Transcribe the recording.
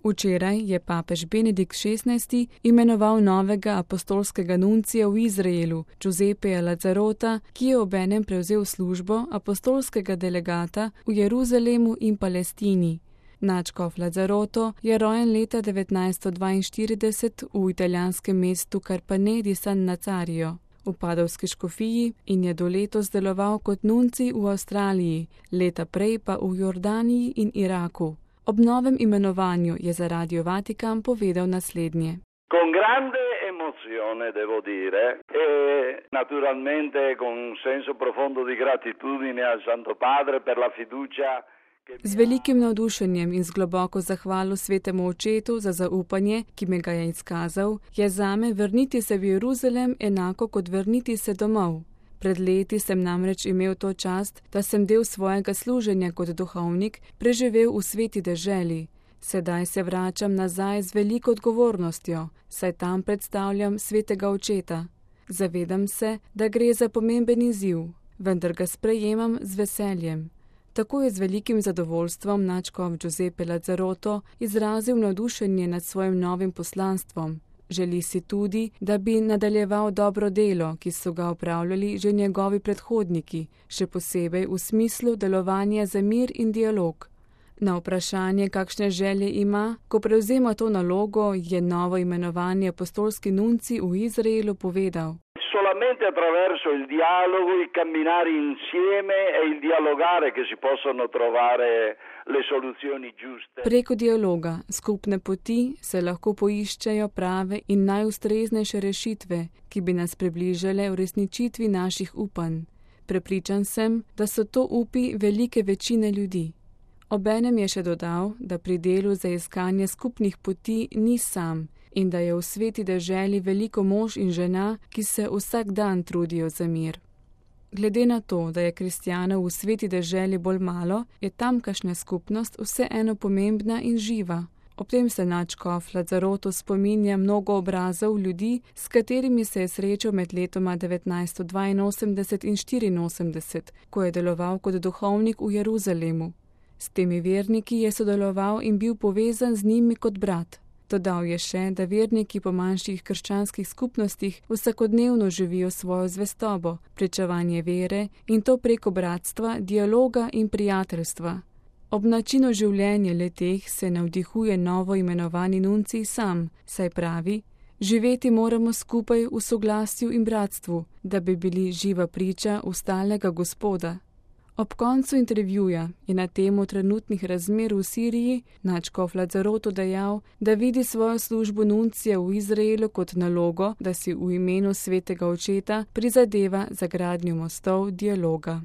Včeraj je papež Benedikt XVI imenoval novega apostolskega nuncija v Izraelu, Giuseppeja Lazzarota, ki je obenem prevzel službo apostolskega delegata v Jeruzalemu in Palestini. Nadškof Lazzaroto je rojen leta 1942 v italijanskem mestu Carpanè di San Nazario v Padovski škofiji in je do letos deloval kot nuncij v Avstraliji, leta prej pa v Jordaniji in Iraku. Ob novem imenovanju je za Radio Vatikan povedal naslednje. Con grande emozione, devo dire, e naturalmente con un senso profondo di gratitudine al Santo Padre per la fiducia. Z velikim navdušenjem in z globoko zahvalo Svetemu Očetu za zaupanje, ki me ga je izkazal, je zame vrniti se v Jeruzalem enako kot vrniti se domov. Pred leti sem namreč imel to čast, da sem del svojega služenja kot duhovnik preživel v sveti deželi. Sedaj se vračam nazaj z veliko odgovornostjo, saj tam predstavljam Svetega Očeta. Zavedam se, da gre za pomemben izziv, vendar ga sprejemam z veseljem. Tako je z velikim zadovoljstvom nadškof Giuseppe Lazzaroto izrazil navdušenje nad svojim novim poslanstvom. Želi si tudi, da bi nadaljeval dobro delo, ki so ga opravljali že njegovi predhodniki, še posebej v smislu delovanja za mir in dialog. Na vprašanje, kakšne želje ima, ko prevzema to nalogo, je novo imenovani apostolski nuncij v Izraelu povedal. Solamente attraverso il dialogo, il camminare insieme e il dialogare che si possono trovare le soluzioni giuste. Preko dialoga, skupne poti se lahko poiščejo prave in najustreznejše rešitve, ki bi nas približale uresničitvi naših upanj. Prepričan sem, da so to upi velike večine ljudi. Obenem je še dodal, da pri delu za iskanje skupnih poti ni sam in da je v sveti deželi veliko mož in žena, ki se vsak dan trudijo za mir. Glede na to, da je kristjanov v sveti deželi bolj malo, je tamkajšnja skupnost vseeno pomembna in živa. Ob tem se nadškof Lazzaroto spominja mnogo obrazov ljudi, s katerimi se je srečal med letoma 1982 in 1984, ko je deloval kot duhovnik v Jeruzalemu. S temi verniki je sodeloval in bil povezan z njimi kot brat. Dodal je še, da verniki po manjših krščanskih skupnostih vsakodnevno živijo svojo zvestobo, pričevanje vere in to preko bratstva, dialoga in prijateljstva. Ob načinu življenja le-teh se navdihuje novo imenovani nuncij sam, saj pravi, živeti moramo skupaj v soglasju in bratstvu, da bi bili živa priča ustalnega Gospoda. Ob koncu intervjuja je na temo trenutnih razmer v Siriji nadškof Lazzaroto dejal, da vidi svojo službo nuncija v Izraelu kot nalogo, da si v imenu Svetega Očeta prizadeva za gradnjo mostov dialoga.